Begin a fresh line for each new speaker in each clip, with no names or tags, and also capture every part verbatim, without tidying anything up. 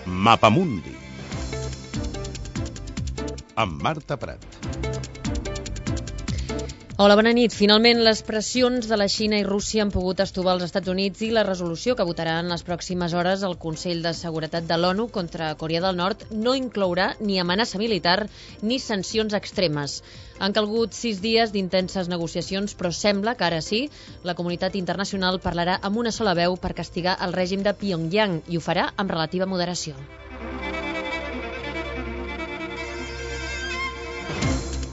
Mapamundi amb Marta Prat.
Hola, bona nit. Finalment, les pressions de la Xina i Rússia han pogut estovar els Estats Units i la resolució que votarà en les pròximes hores el Consell de Seguretat de l'ONU contra Corea del Nord no inclourà ni amenaça militar ni sancions extremes. Han calgut sis dies d'intenses negociacions, però sembla que ara sí, la comunitat internacional parlarà amb una sola veu per castigar el règim de Pyongyang i ho farà amb relativa moderació.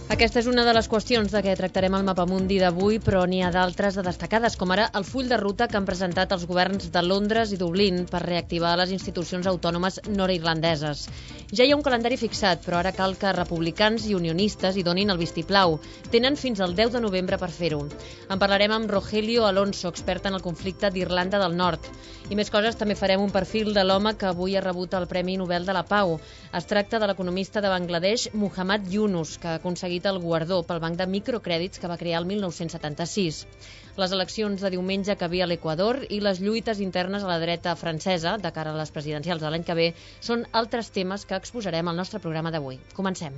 Aquesta és una de les qüestions de què tractarem al Mapamundi d'avui, però n'hi ha d'altres de destacades, com ara el full de ruta que han presentat els governs de Londres i Dublín per reactivar les institucions autònomes nord-irlandeses. Ja hi ha un calendari fixat, però ara cal que republicans i unionistes hi donin el vistiplau. Tenen fins al deu de novembre per fer-ho. En parlarem amb Rogelio Alonso, expert en el conflicte d'Irlanda del Nord. I més coses, també farem un perfil de l'home que avui ha rebut el Premi Nobel de la Pau. Es tracta de l'economista de Bangladesh, Muhammad Yunus, que ha aconseguit el guardó pel banc de microcrèdits que va crear el mil nou-cents setanta-sis. Les eleccions de diumenge que ve a l'Equador i les lluites internes a la dreta francesa de cara a les presidencials de l'any que ve són altres temes que exposarem al nostre programa d'avui. Comencem.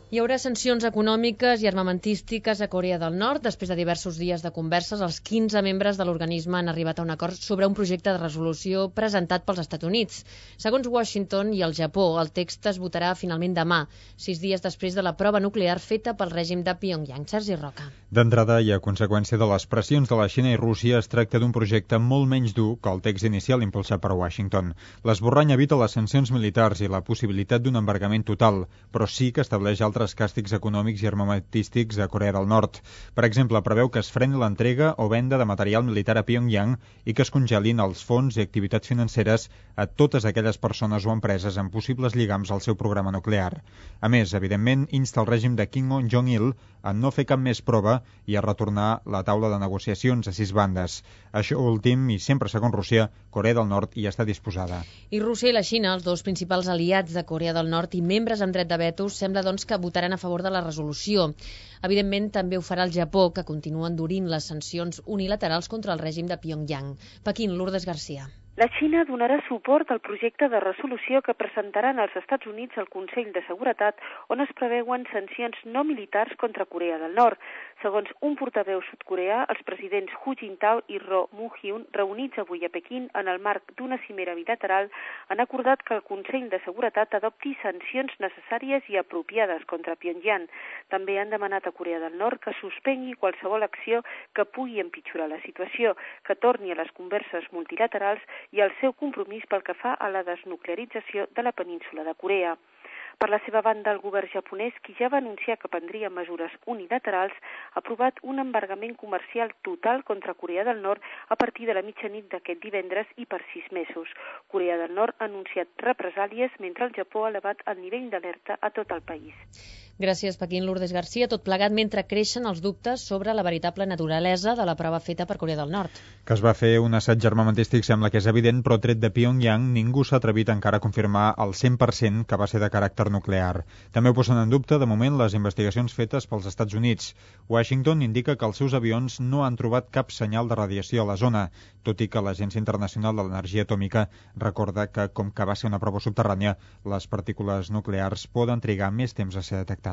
Hi haurà sancions econòmiques i armamentístiques a Corea del Nord. Després de diversos dies de converses, els quinze membres de l'organisme han arribat a un acord sobre un projecte de resolució presentat pels Estats Units. Segons Washington i el Japó, el text es votarà finalment demà, sis dies després de la prova nuclear feta pel règim de Pyongyang. Sergi Roca.
D'entrada, i a conseqüència de les pressions de la Xina i Rússia, es tracta d'un projecte molt menys dur que el text inicial impulsat per Washington. L'esborrany evita les sancions militars i la possibilitat d'un embargament total, però sí que estableix altres càstigs econòmics i armamentístics a Corea del Nord. Per exemple, preveu que es freni l'entrega o venda de material militar a Pyongyang i que es congelin els fons i activitats financeres a totes aquelles persones o empreses amb possibles lligams al seu programa nuclear. A més, evidentment, insta el règim de Kim Jong-il a no fer cap més prova i a retornar la taula de negociacions a sis bandes. Això últim, i sempre segons Rússia, Corea del Nord hi està disposada.
I Rússia i la Xina, els dos principals aliats de Corea del Nord i membres amb dret de veto, sembla doncs que votaran a favor de la resolució. Evidentment, també ho farà el Japó, que continua endurint les sancions unilaterals contra el règim de Pyongyang. Pequín, Lourdes Garcia.
La Xina donarà suport al projecte de resolució que presentaran els Estats Units al Consell de Seguretat, on es preveuen sancions no militars contra Corea del Nord. Segons un portaveu sud-coreà, els presidents Hu Jintao i Roh Moo-hyun, reunits avui a Pequín en el marc d'una cimera bilateral, han acordat que el Consell de Seguretat adopti sancions necessàries i apropiades contra Pyongyang. També han demanat a Corea del Nord que suspengui qualsevol acció que pugui empitjorar la situació, que torni a les converses multilaterals i el seu compromís pel que fa a la desnuclearització de la península de Corea. Per la seva banda, el govern japonès, qui ja va anunciar que prendria mesures unilaterals, ha aprovat un embargament comercial total contra Corea del Nord a partir de la mitjanit d'aquest divendres i per sis mesos. Corea del Nord ha anunciat represàlies mentre el Japó ha elevat el nivell d'alerta a tot el país.
Gràcies, Pequín. Lourdes Garcia. Tot plegat mentre creixen els dubtes sobre la veritable naturalesa de la prova feta per Corea del Nord.
Que es va fer un assaig armamentístic sembla que és evident, però tret de Pyongyang ningú s'ha atrevit encara a confirmar el cent per cent que va ser de caràcter nuclear. També ho posen en dubte, de moment, les investigacions fetes pels Estats Units. Washington indica que els seus avions no han trobat cap senyal de radiació a la zona, tot i que l'Agència Internacional de l'Energia Atòmica recorda que, com que va ser una prova subterrània, les partícules nuclears poden trigar més temps a ser detectades.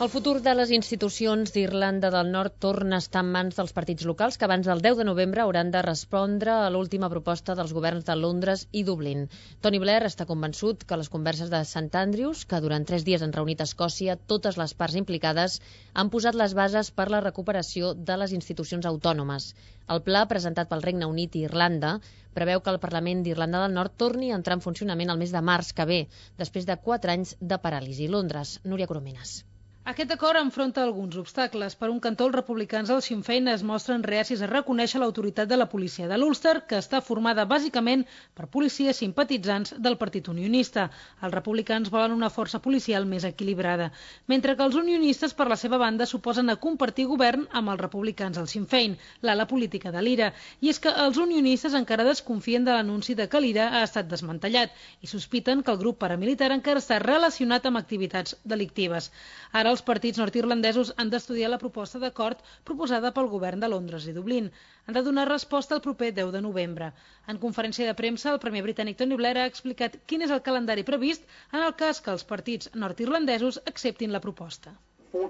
El futur de les institucions d'Irlanda del Nord torna a estar en mans dels partits locals que abans del deu de novembre hauran de respondre a l'última proposta dels governs de Londres i Dublín. Tony Blair està convençut que les converses de Sant Andrews, que durant tres dies han reunit a Escòcia totes les parts implicades, han posat les bases per la recuperació de les institucions autònomes. El pla, presentat pel Regne Unit i Irlanda, preveu que el Parlament d'Irlanda del Nord torni a entrar en funcionament el mes de març que ve, després de quatre anys de paràlisi. Londres, Núria Corominas.
Aquest acord enfronta alguns obstacles. Per un cantó, els republicans del Sinn Féin es mostren reacis a reconèixer l'autoritat de la policia de l'Ulster, que està formada bàsicament per policies simpatitzants del Partit Unionista. Els republicans volen una força policial més equilibrada, mentre que els unionistes, per la seva banda, s'oposen a compartir govern amb els republicans del Sinn Féin, l'ala política de l'I R A. I és que els unionistes encara desconfien de l'anunci de que l'I R A ha estat desmantellat i sospiten que el grup paramilitar encara està relacionat amb activitats delictives. Ara els partits nord-irlandesos han d'estudiar la proposta d'acord proposada pel govern de Londres i Dublín. Han de donar resposta el proper deu de novembre. En conferència de premsa, el premier britànic Tony Blair ha explicat quin és el calendari previst en el cas que els partits nord-irlandesos acceptin la proposta.
El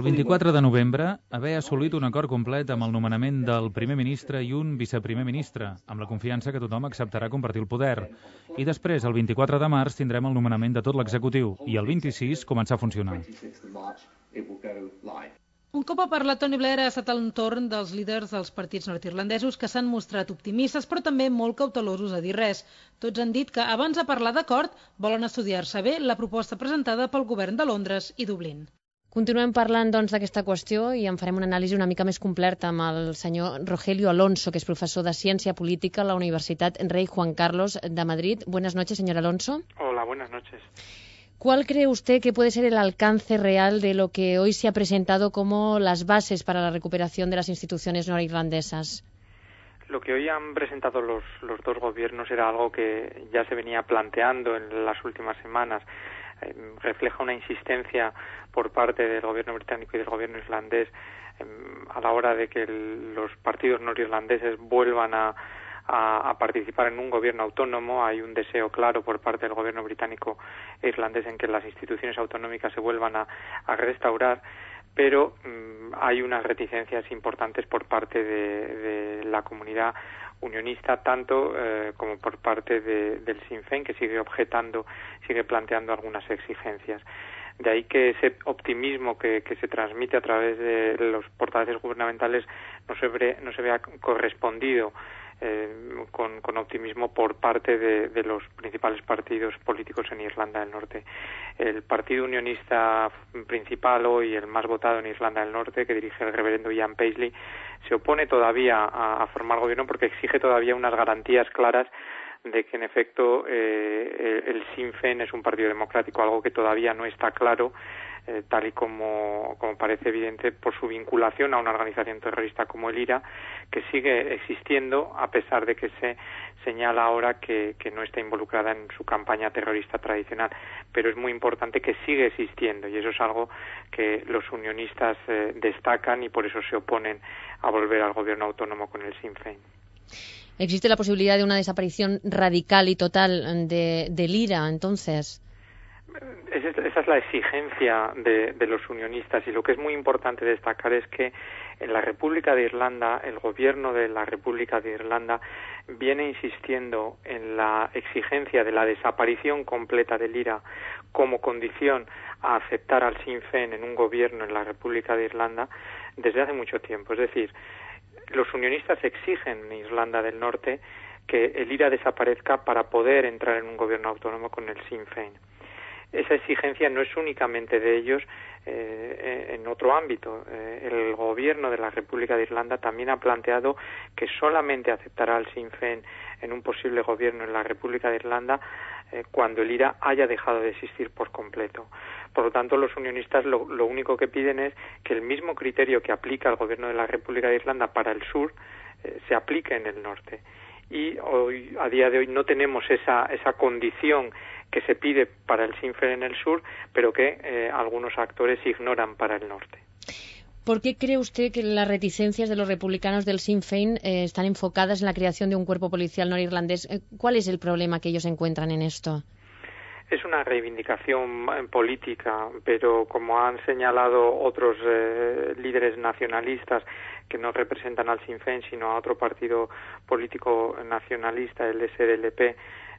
vint-i-quatre de novembre, haver assolit un acord complet amb el nomenament del primer ministre i un viceprimer ministre, amb la confiança que tothom acceptarà compartir el poder. I després, el vint-i-quatre de març, tindrem el nomenament de tot l'executiu i el vint-i-sis començar a funcionar.
Un cop ha parlat Tony Blair, ha estat el torn dels líders dels partits nord-irlandesos, que s'han mostrat optimistes però també molt cautelosos a dir res. Tots han dit que abans de parlar d'acord volen estudiar-se bé la proposta presentada pel govern de Londres i Dublín.
Continuem parlant doncs d'aquesta qüestió i en farem una anàlisi una mica més completa amb el senyor Rogelio Alonso, que és professor de Ciència Política a la Universitat Rey Juan Carlos de Madrid. Buenas noches, señor Alonso.
Hola, buenas noches.
¿Cuál cree usted que puede ser el alcance real de lo que hoy se ha presentado como las bases para la recuperación de las instituciones norirlandesas?
Lo que hoy han presentado los, los dos gobiernos era algo que ya se venía planteando en las últimas semanas. Eh, refleja una insistencia por parte del gobierno británico y del gobierno irlandés eh, a la hora de que el, los partidos norirlandeses vuelvan a A, a participar en un gobierno autónomo. Hay un deseo claro por parte del gobierno británico e irlandés en que las instituciones autonómicas se vuelvan a, a restaurar, pero mmm, hay unas reticencias importantes por parte de, de la comunidad unionista, tanto eh, como por parte de, del Sinn Féin, que sigue objetando, sigue planteando algunas exigencias. De ahí que ese optimismo que, que se transmite a través de los portavoces gubernamentales no se, ve, no se vea correspondido Eh, con, con optimismo por parte de, de los principales partidos políticos en Irlanda del Norte. El partido unionista principal hoy, el más votado en Irlanda del Norte, que dirige el reverendo Ian Paisley, se opone todavía a, a formar gobierno porque exige todavía unas garantías claras de que en efecto eh, el Sinn Féin es un partido democrático, algo que todavía no está claro, eh, tal y como, como parece evidente por su vinculación a una organización terrorista como el I R A, que sigue existiendo a pesar de que se señala ahora que, que no está involucrada en su campaña terrorista tradicional. Pero es muy importante que sigue existiendo y eso es algo que los unionistas eh, destacan y por eso se oponen a volver al gobierno autónomo con el Sinn Féin.
¿Existe la posibilidad de una desaparición radical y total de, del I R A, entonces?
Esa es la exigencia de, de los unionistas y lo que es muy importante destacar es que en la República de Irlanda, el gobierno de la República de Irlanda viene insistiendo en la exigencia de la desaparición completa del I R A como condición a aceptar al Sinn Féin en un gobierno en la República de Irlanda desde hace mucho tiempo. Es decir, los unionistas exigen en Irlanda del Norte que el I R A desaparezca para poder entrar en un gobierno autónomo con el Sinn Féin. Esa exigencia no es únicamente de ellos eh, en otro ámbito. Eh, el gobierno de la República de Irlanda también ha planteado que solamente aceptará al Sinn Féin en un posible gobierno en la República de Irlanda eh, cuando el I R A haya dejado de existir por completo. Por lo tanto, los unionistas lo, lo único que piden es que el mismo criterio que aplica el gobierno de la República de Irlanda para el sur eh, se aplique en el norte. Y hoy, a día de hoy, no tenemos esa, esa condición que se pide para el Sinn Féin en el sur, pero que eh, algunos actores ignoran para el norte.
¿Por qué cree usted que las reticencias de los republicanos del Sinn Féin eh, están enfocadas en la creación de un cuerpo policial norirlandés? ¿Cuál es el problema que ellos encuentran en esto?
Es una reivindicación política, pero como han señalado otros eh, líderes nacionalistas que no representan al Sinn Féin, sino a otro partido político nacionalista, el S D L P,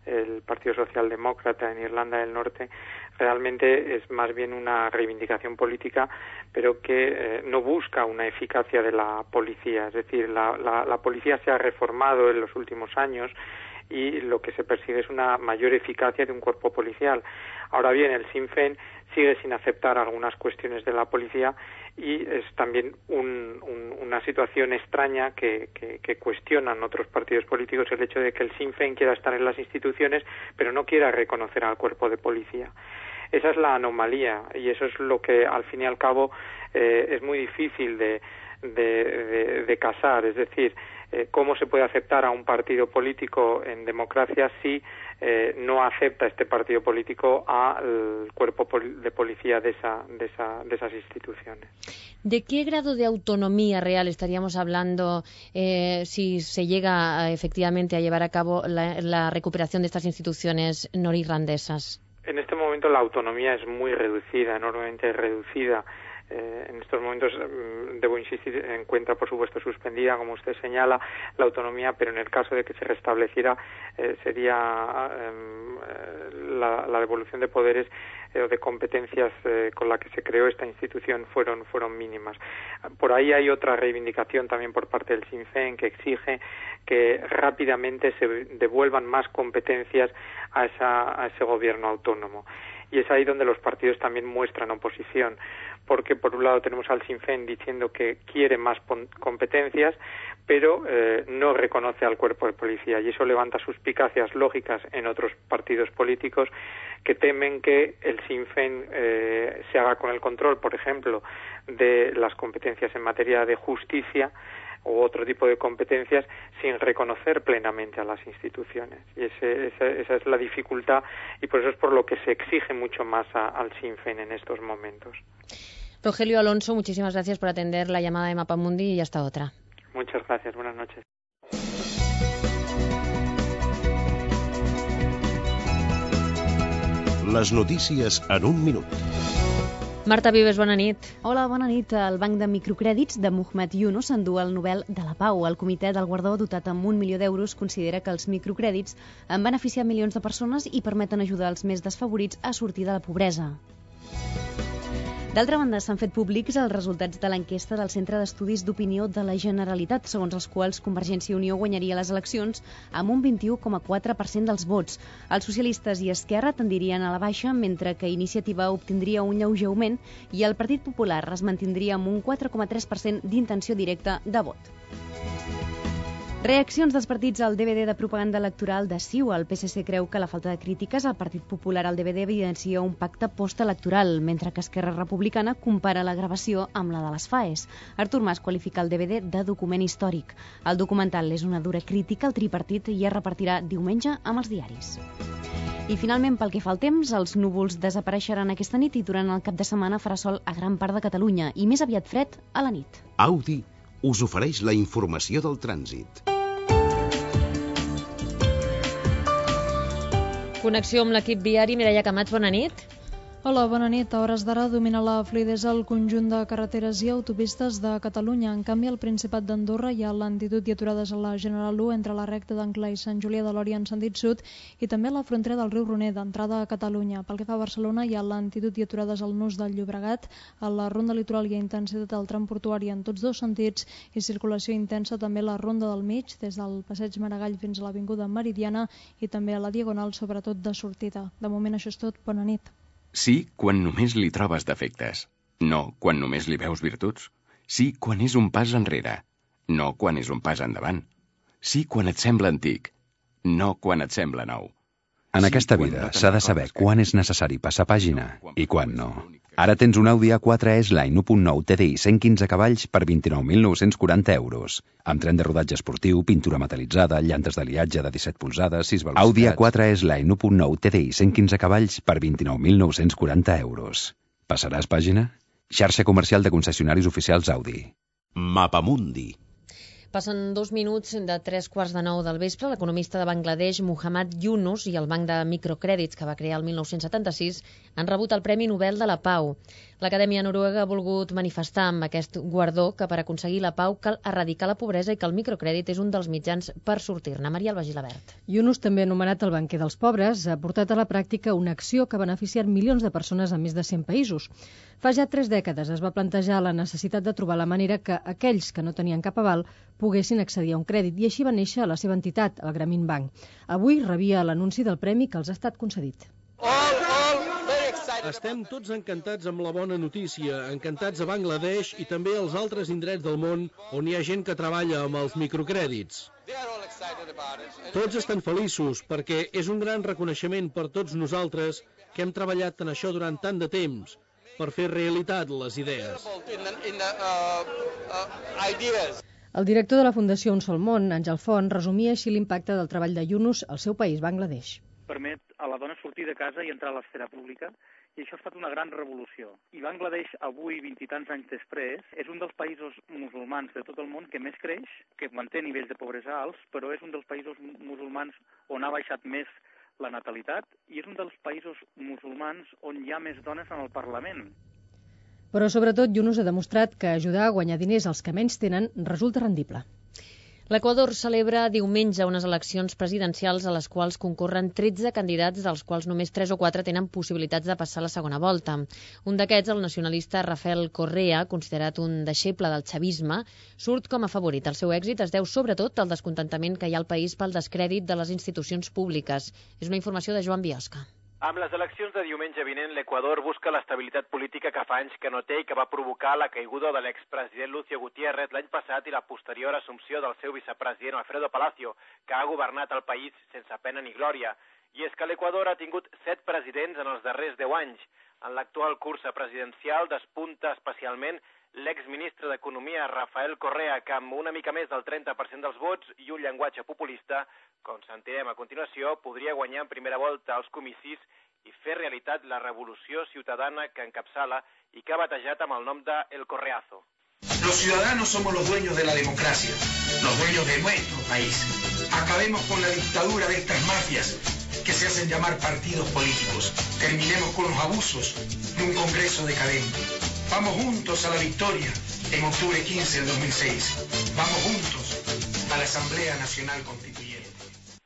el Partido Socialdemócrata en Irlanda del Norte, realmente es más bien una reivindicación política, pero que eh, no busca una eficacia de la policía. Es decir, la, la, la policía se ha reformado en los últimos años y lo que se persigue es una mayor eficacia de un cuerpo policial. Ahora bien, el Sinn Féin sigue sin aceptar algunas cuestiones de la policía y es también un, un, una situación extraña que, que, que cuestionan otros partidos políticos, el hecho de que el Sinn Féin quiera estar en las instituciones pero no quiera reconocer al cuerpo de policía. Esa es la anomalía y eso es lo que al fin y al cabo eh, es muy difícil de, de, de, de casar, es decir, eh, cómo se puede aceptar a un partido político en democracia si eh, no acepta este partido político al cuerpo de policía de, esa, de, esa, de esas instituciones.
¿De qué grado de autonomía real estaríamos hablando eh, si se llega a, efectivamente a llevar a cabo la, la recuperación de estas instituciones norirlandesas?
En este momento la autonomía es muy reducida, enormemente reducida. Eh, en estos momentos, eh, debo insistir, encuentra por supuesto suspendida, como usted señala, la autonomía, pero en el caso de que se restableciera eh, sería eh, la, la devolución de poderes o eh, de competencias eh, con la que se creó esta institución fueron fueron mínimas. Por ahí hay otra reivindicación también por parte del Sinn Féin que exige que rápidamente se devuelvan más competencias a, esa, a ese gobierno autónomo. Y es ahí donde los partidos también muestran oposición, porque por un lado tenemos al Sinn Féin diciendo que quiere más competencias, pero eh, no reconoce al cuerpo de policía, y eso levanta suspicacias lógicas en otros partidos políticos que temen que el Sinn Féin eh, se haga con el control, por ejemplo, de las competencias en materia de justicia o otro tipo de competencias sin reconocer plenamente a las instituciones. Y ese, esa, esa es la dificultad y por eso es por lo que se exige mucho más a, al Sinn Féin en estos momentos.
Rogelio Alonso, muchísimas gracias por atender la llamada de Mapamundi y hasta otra.
Muchas gracias, buenas noches.
Les notícies en un minut.
Marta Vives, bona nit.
Hola, bona nit. El Banc de Microcrèdits de Muhammad Yunus s'endú el Nobel de la Pau. El comitè del guardó, dotat amb un milió d'euros, considera que els microcrèdits han beneficiat milions de persones i permeten ajudar els més desfavorits a sortir de la pobresa. D'altra banda, s'han fet públics els resultats de l'enquesta del Centre d'Estudis d'Opinió de la Generalitat, segons els quals Convergència i Unió guanyaria les eleccions amb un vint-i-u coma quatre per cent dels vots. Els socialistes i Esquerra tendirien a la baixa, mentre que Iniciativa obtindria un lleuger augment i el Partit Popular es mantindria amb un quatre coma tres per cent d'intenció directa de vot. Reaccions dels partits al D V D de propaganda electoral de C I U. El P S C creu que la falta de crítiques al Partit Popular al D V D evidencia un pacte postelectoral, mentre que Esquerra Republicana compara la gravació amb la de les FAES. Artur Mas qualifica el D V D de document històric. El documental és una dura crítica al tripartit i es repartirà diumenge amb els diaris. I finalment, pel que fa al temps, els núvols desapareixeran aquesta nit i durant el cap de setmana farà sol a gran part de Catalunya i més aviat fred a la nit.
Audi us ofereix la informació del trànsit.
Connexió amb l'equip viari. Mireia Camats, bona nit.
Hola, bona nit. A hores d'ara domina la fluïdesa al conjunt de carreteres i autopistes de Catalunya. En canvi, al Principat d'Andorra hi ha lentitud i aturades a la General u entre la recta d'Ancla i Sant Julià de Lòria en sentit sud i també a la frontera del riu Roner, d'entrada a Catalunya. Pel que fa a Barcelona, hi ha lentitud i aturades al nus del Llobregat. A la ronda litoral hi ha intensitat al tram portuari en tots dos sentits i circulació intensa també a la ronda del mig, des del passeig Maragall fins a l'Avinguda Meridiana i també a la Diagonal, sobretot de sortida. De moment això és tot. Bona nit.
Sí, quan només li trobes defectes. No, quan només li veus virtuts. Sí, quan és un pas enrere. No, quan és un pas endavant. Sí, quan et sembla antic. No, quan et sembla nou.
En aquesta vida s'ha de saber quan és necessari passar pàgina i quan no. Ara tens un Audi A quatre S-Line u punt nou T D I cent quinze cavalls per vint-i-nou mil nou-cents quaranta euros. Amb tren de rodatge esportiu, pintura metal·litzada, llantes d'aliatge de disset polzades, sis velocitats... Audi A quatre S-Line u punt nou T D I cent quinze cavalls per vint-i-nou mil nou-cents quaranta euros. Passaràs pàgina? Xarxa comercial de concessionaris oficials Audi.
Mapamundi.
Passen dos minuts de tres quarts de nou del vespre. L'economista de Bangladesh, Muhammad Yunus, i el Banc de Microcrèdits, que va crear el mil nou-cents setanta-sis, han rebut el Premi Nobel de la Pau. L'Acadèmia Noruega ha volgut manifestar amb aquest guardó que per aconseguir la pau cal erradicar la pobresa i que el microcrèdit és un dels mitjans per sortir-ne. Maria Alba Gilabert.
Yunus, també anomenat el banquer dels pobres, ha portat a la pràctica una acció que ha beneficiat milions de persones en més de cent països. Fa ja tres dècades es va plantejar la necessitat de trobar la manera que aquells que no tenien cap aval poguessin accedir a un crèdit i així va néixer la seva entitat, el Grameen Bank. Avui rebia l'anunci del premi que els ha estat concedit.
Estem tots encantats amb la bona notícia, encantats a Bangladesh i també als altres indrets del món on hi ha gent que treballa amb els microcrèdits. Tots estan feliços perquè és un gran reconeixement per tots nosaltres que hem treballat en això durant tant de temps per fer realitat les idees.
El director de la Fundació Un Sol Món, Àngel Font, resumia així l'impacte del treball de Yunus al seu país, Bangladesh.
Permet a la dona sortir de casa i entrar a l'esfera pública, i això ha estat una gran revolució. I Bangladesh, avui, vint i tants anys després, és un dels països musulmans de tot el món que més creix, que manté nivells de pobresa alts, però és un dels països musulmans on ha baixat més la natalitat i és un dels països musulmans on hi ha més dones en el Parlament.
Però, sobretot, Yunus ha demostrat que ajudar a guanyar diners als que menys tenen resulta rendible.
L'Equador celebra diumenge unes eleccions presidencials a les quals concorren tretze candidats, dels quals només tres o quatre tenen possibilitats de passar a la segona volta. Un d'aquests, el nacionalista Rafael Correa, considerat un deixeble del chavisme, surt com a favorit. El seu èxit es deu sobretot al descontentament que hi ha al país pel descrèdit de les institucions públiques. És una informació de Joan Biosca.
Amb les eleccions de diumenge vinent, l'Equador busca l'estabilitat política que fa anys que no té i que va provocar la caiguda de l'expresident Lucio Gutiérrez l'any passat i la posterior assumpció del seu vicepresident Alfredo Palacio, que ha governat el país sense pena ni glòria. I és que l'Equador ha tingut set presidents en els darrers deu anys. En l'actual cursa presidencial despunta especialment l'exministre d'Economia Rafael Correa, que amb una mica més del trenta per cent dels vots i un llenguatge populista, com sentirem a continuació, podria guanyar en primera volta els comicis i fer realitat la revolució ciutadana que encapçala i que ha batejat amb el nom de El Correazo.
Los ciudadanos somos los dueños de la democracia, los dueños de nuestro país. Acabemos con la dictadura de estas mafias que se hacen llamar partidos políticos. Terminemos con los abusos de un Congreso decadente. Vamos juntos a la victoria en octubre quince del dos mil seis. Vamos juntos a la Asamblea Nacional Constituyente.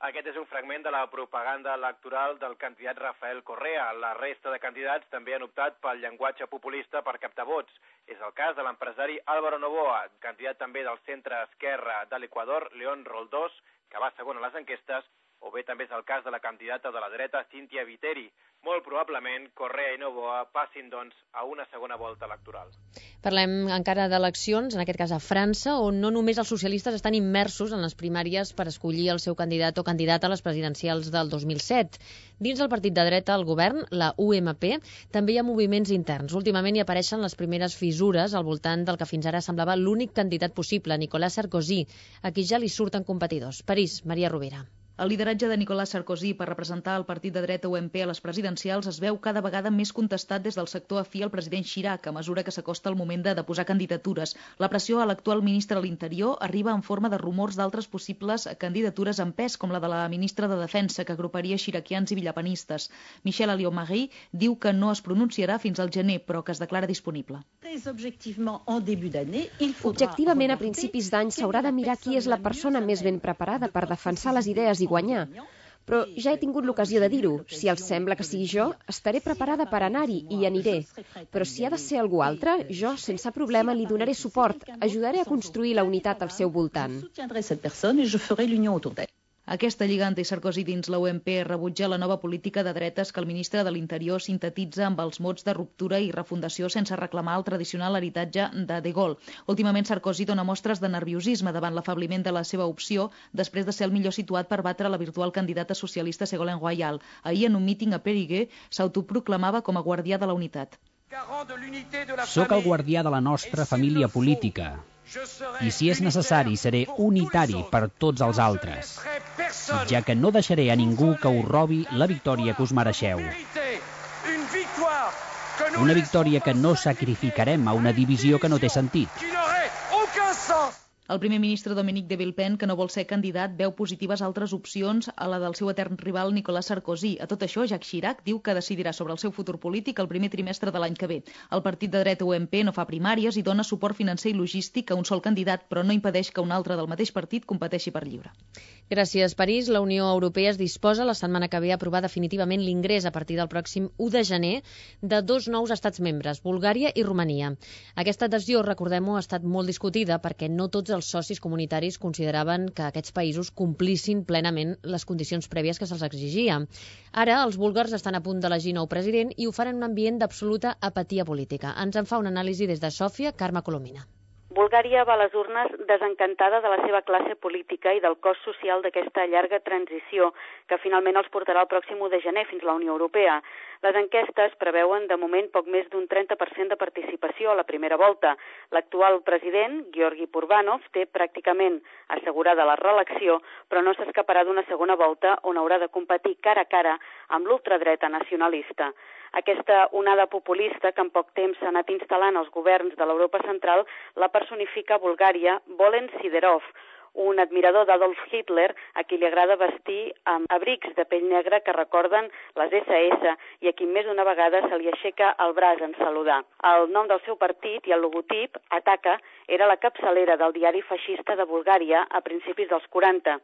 Aquest és un fragment de la propaganda electoral del candidat Rafael Correa. La resta de candidats també han optat pel llenguatge populista per captar vots. És el cas de l'empresari Álvaro Novoa, candidat també del centre-esquerra de l'Equador, León Roldós, que va segon a les enquestes, o bé també és el cas de la candidata de la dreta, Cíntia Viteri. Molt probablement, Correa i Novoa passin, doncs, a una segona volta electoral.
Parlem encara d'eleccions, en aquest cas a França, on no només els socialistes estan immersos en les primàries per escollir el seu candidat o candidata a les presidencials del dos mil set. Dins del partit de dreta al govern, la U M P, també hi ha moviments interns. Últimament hi apareixen les primeres fissures al voltant del que fins ara semblava l'únic candidat possible, Nicolas Sarkozy, a qui ja li surten competidors. París, Maria Rovira.
El lideratge de Nicolas Sarkozy per representar el partit de dreta U M P a les presidencials es veu cada vegada més contestat des del sector afí al president Chirac a mesura que s'acosta el moment de deposar candidatures. La pressió a l'actual ministre de l'Interior arriba en forma de rumors d'altres possibles candidatures en pes, com la de la ministra de Defensa, que agruparia xiraquians i villapanistes. Michel Alliot-Marie diu que no es pronunciarà fins al gener, però que es declara disponible.
Objectivament, a principis d'any s'haurà de mirar qui és la persona més ben preparada per defensar les idees i guanyar. Però ja he tingut l'ocasió de dir-ho. Si els sembla que sigui jo, estaré preparada per anar-hi i hi aniré. Però si ha de ser algú altre, jo, sense problema, li donaré suport. Ajudaré a construir la unitat al seu voltant.
Aquesta lliga anti-Sarkozy dins la U M P rebutja la nova política de dretes que el ministre de l'Interior sintetitza amb els mots de ruptura i refundació sense reclamar el tradicional heretatge de De Gaulle. Últimament Sarkozy dona mostres de nerviosisme davant l'afabliment de la seva opció després de ser el millor situat per batre la virtual candidata socialista Ségolène Royal. Ahir, en un míting a Périgueux, s'autoproclamava com a guardià de la unitat.
Soc el guardià de la nostra família política. I si és necessari, seré unitari per tots els altres, ja que no deixaré a ningú que us robi la victòria que us mereixeu. Una victòria que no sacrificarem a una divisió que no té sentit.
El primer ministre Dominique de Villepin, que no vol ser candidat, veu positives altres opcions a la del seu etern rival Nicolas Sarkozy. A tot això, Jacques Chirac diu que decidirà sobre el seu futur polític el primer trimestre de l'any que ve. El partit de dreta U M P no fa primàries i dona suport financer i logístic a un sol candidat, però no impedeix que un altre del mateix partit competeixi per lliure.
Gràcies, París. La Unió Europea es disposa la setmana que ve a aprovar definitivament l'ingrés a partir del pròxim u de gener de dos nous estats membres, Bulgària i Romania. Aquesta adhesió, recordem-ho, ha estat molt discutida perquè no tots els socis comunitaris consideraven que aquests països complissin plenament les condicions prèvies que se'ls exigia. Ara, els búlgars estan a punt d'elegir nou president i ho fan en un ambient d'absoluta apatia política. Ens en fa una anàlisi des de Sòfia, Carme Colomina.
Bulgària va a les urnes desencantada de la seva classe política i del cost social d'aquesta llarga transició que finalment els portarà el pròxim u de gener fins a la Unió Europea. Les enquestes preveuen de moment poc més d'un trenta per cent de participació a la primera volta. L'actual president, Georgi Purbanov, té pràcticament assegurada la reelecció, però no s'escaparà d'una segona volta on haurà de competir cara a cara amb l'ultradreta nacionalista. Aquesta onada populista que en poc temps s'ha anat instal·lant als governs de l'Europa central la personifica a Bulgària Volen Siderov, un admirador d'Adolf Hitler a qui li agrada vestir amb abrics de pell negra que recorden les esse esse i a qui més d'una vegada se li aixeca el braç en saludar. El nom del seu partit i el logotip, Ataka, era la capçalera del diari feixista de Bulgària a principis dels quaranta.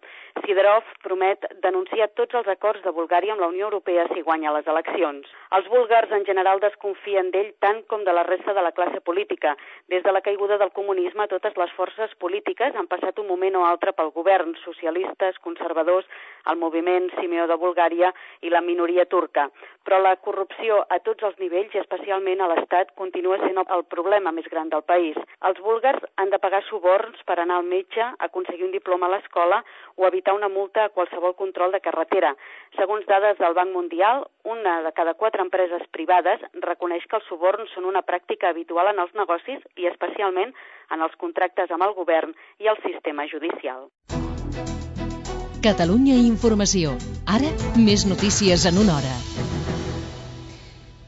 Siderov promet denunciar tots els acords de Bulgària amb la Unió Europea si guanya les eleccions. Els búlgars en general desconfien d'ell tant com de la resta de la classe política. Des de la caiguda del comunisme, totes les forces polítiques han passat un moment o altre pel govern, socialistes, conservadors, el moviment Simeó de Bulgària i la minoria turca. Però la corrupció a tots els nivells, i especialment a l'Estat, continua sent el problema més gran del país. Els búlgars han de pagar suborns per anar al metge, aconseguir un diploma a l'escola o evitar una multa a qualsevol control de carretera. Segons dades del Banc Mundial, una de cada quatre empreses privades reconeix que els suborns són una pràctica habitual en els negocis i especialment en els contractes amb el govern i el sistema judicial.
Catalunya Informació. Ara, més notícies en una hora.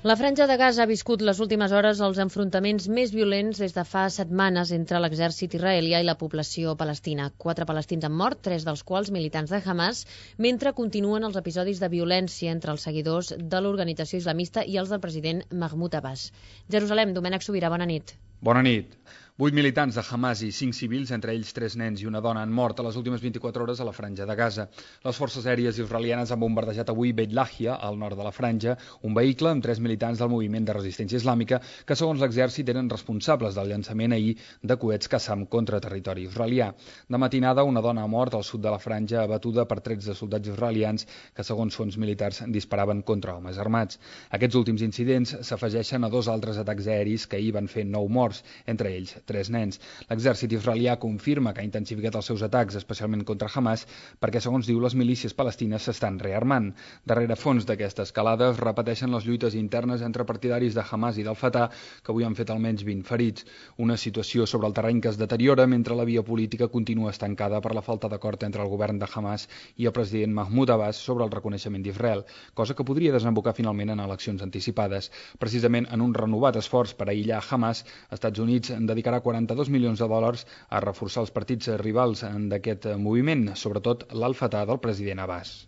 La Franja de Gaza ha viscut les últimes hores els enfrontaments més violents des de fa setmanes entre l'exèrcit israelià i la població palestina. Quatre palestins han mort, tres dels quals militants de Hamas, mentre continuen els episodis de violència entre els seguidors de l'organització islamista i els del president Mahmoud Abbas. Jerusalem, Domènec Sobirà, bona nit.
Bona nit. Vuit militants de Hamas i cinc civils, entre ells tres nens i una dona, han mort a les últimes vint-i-quatre hores a la Franja de Gaza. Les forces aèries israelianes han bombardejat avui Beit Lahia, al nord de la Franja, un vehicle amb tres militants del moviment de resistència islàmica que, segons l'exèrcit, eren responsables del llançament ahir de coets Qassam contra territori israelià. De matinada, una dona ha mort al sud de la Franja abatuda per trets de soldats israelians que, segons fons militars, disparaven contra homes armats. Aquests últims incidents s'afegeixen a dos altres atacs aeris que ahir van fer nou morts, entre ells tres nens. L'exèrcit israelià confirma que ha intensificat els seus atacs, especialment contra Hamas, perquè, segons diu, les milícies palestines s'estan rearmant. Darrere fons d'aquesta escalada es repeteixen les lluites internes entre partidaris de Hamas i del Fatah, que avui han fet almenys vint ferits. Una situació sobre el terreny que es deteriora mentre la via política continua estancada per la falta d'acord entre el govern de Hamas i el president Mahmoud Abbas sobre el reconeixement d'Israel, cosa que podria desembocar finalment en eleccions anticipades. Precisament en un renovat esforç per aïllar Hamas, Estats Units en dedicarà quaranta-dos milions de dòlars a reforçar els partits rivals d'aquest moviment, sobretot l'Al-Fatah del president Abbas.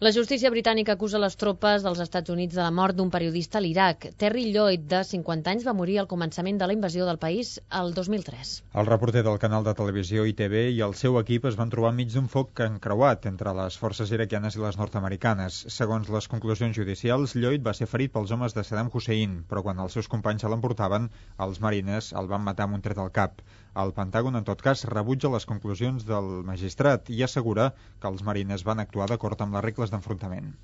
La justícia britànica acusa les tropes dels Estats Units de la mort d'un periodista a l'Iraq. Terry Lloyd, de cinquanta anys, va morir al començament de la invasió del país el dos mil tres.
El reporter del canal de televisió I T V i el seu equip es van trobar enmig d'un foc encreuat entre les forces iraquianes i les nord-americanes. Segons les conclusions judicials, Lloyd va ser ferit pels homes de Saddam Hussein, però quan els seus companys se l'emportaven, els marines el van matar amb un tret al cap. El Pentàgon, en tot cas, rebutja les conclusions del magistrat i assegura que els marines van actuar d'acord amb les regles d'enfrontament.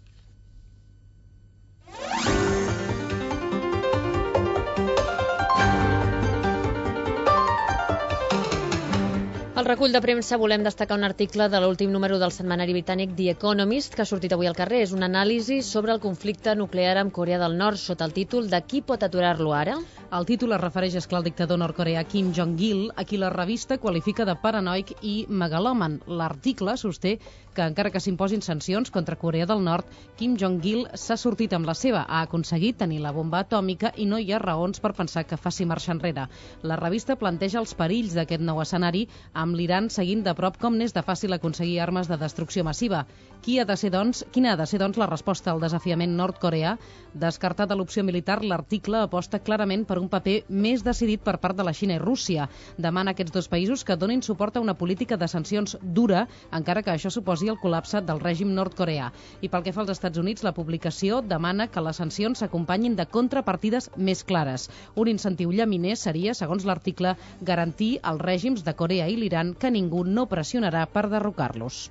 Al recull de premsa volem destacar un article de l'últim número del setmanari britànic The Economist que ha sortit avui al carrer. És una anàlisi sobre el conflicte nuclear amb Corea del Nord sota el títol de Qui pot aturar-lo ara?
El títol es refereix, esclar, al dictador nord-coreà Kim Jong-il, a qui la revista qualifica de paranoic i megalòman. L'article sosté que, encara que s'imposin sancions contra Corea del Nord, Kim Jong-il s'ha sortit amb la seva, ha aconseguit tenir la bomba atòmica i no hi ha raons per pensar que faci marxa enrere. La revista planteja els perills d'aquest nou escenari amb
amb l'Iran seguint de prop com n'és de fàcil aconseguir armes de destrucció massiva. Qui ha de ser, doncs, quina ha de ser, doncs, la resposta al desafiament nord-coreà? Descartada l'opció militar, l'article aposta clarament per un paper més decidit per part de la Xina i Rússia. Demana a aquests dos països que donin suport a una política de sancions dura, encara que això suposi el col·lapse del règim nord-coreà. I pel que fa als Estats Units, la publicació demana que les sancions s'acompanyin de contrapartides més clares. Un incentiu llaminer seria, segons l'article, garantir als règims de Corea i l'Iran que ningú no pressionarà per derrocar-los.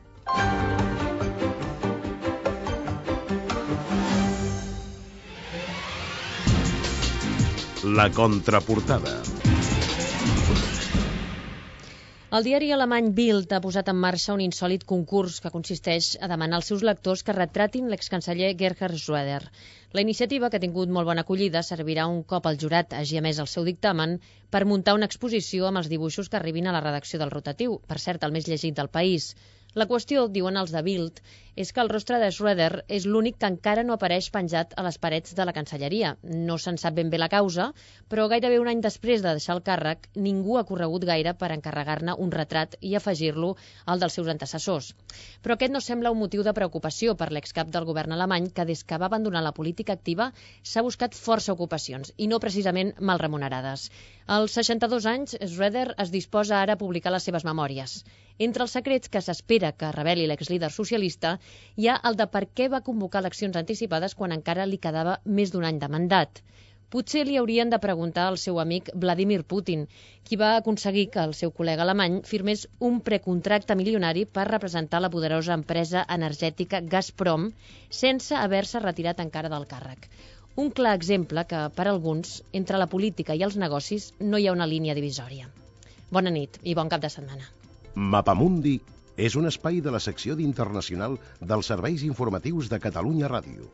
La contraportada.
El diari alemany Bild ha posat en marxa un insòlit concurs que consisteix a demanar als seus lectors que retratin l'excanceller Gerhard Schröder. La iniciativa, que ha tingut molt bona acollida, servirà un cop el jurat hagi emès el seu dictamen per muntar una exposició amb els dibuixos que arribin a la redacció del rotatiu, per cert, el més llegit del país. La qüestió, diuen els de Bild, és que el rostre de Schröder és l'únic que encara no apareix penjat a les parets de la Cancelleria. No se'n sap ben bé la causa, però gairebé un any després de deixar el càrrec, ningú ha corregut gaire per encarregar-ne un retrat i afegir-lo al dels seus antecessors. Però aquest no sembla un motiu de preocupació per l'excap del govern alemany, que des que va abandonar la política activa s'ha buscat força ocupacions, i no precisament mal remunerades. Als seixanta-dos anys, Schröder es disposa ara a publicar les seves memòries. Entre els secrets que s'espera que reveli l'exlíder socialista hi ha el de per què va convocar eleccions anticipades quan encara li quedava més d'un any de mandat. Potser li haurien de preguntar al seu amic Vladimir Putin, qui va aconseguir que el seu col·lega alemany firmés un precontracte milionari per representar la poderosa empresa energètica Gazprom sense haver-se retirat encara del càrrec. Un clar exemple que, per alguns, entre la política i els negocis no hi ha una línia divisòria. Bona nit i bon cap de setmana.
Mapamundi és un espai de la secció d'Internacional dels Serveis Informatius de Catalunya Ràdio.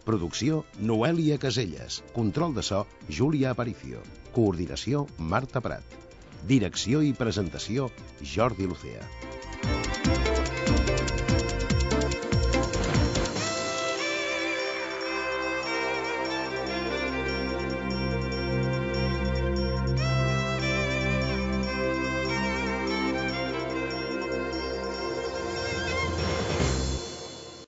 Producció, Noèlia Caselles. Control de so, Júlia Aparicio. Coordinació, Marta Prat. Direcció i presentació, Jordi Lucea.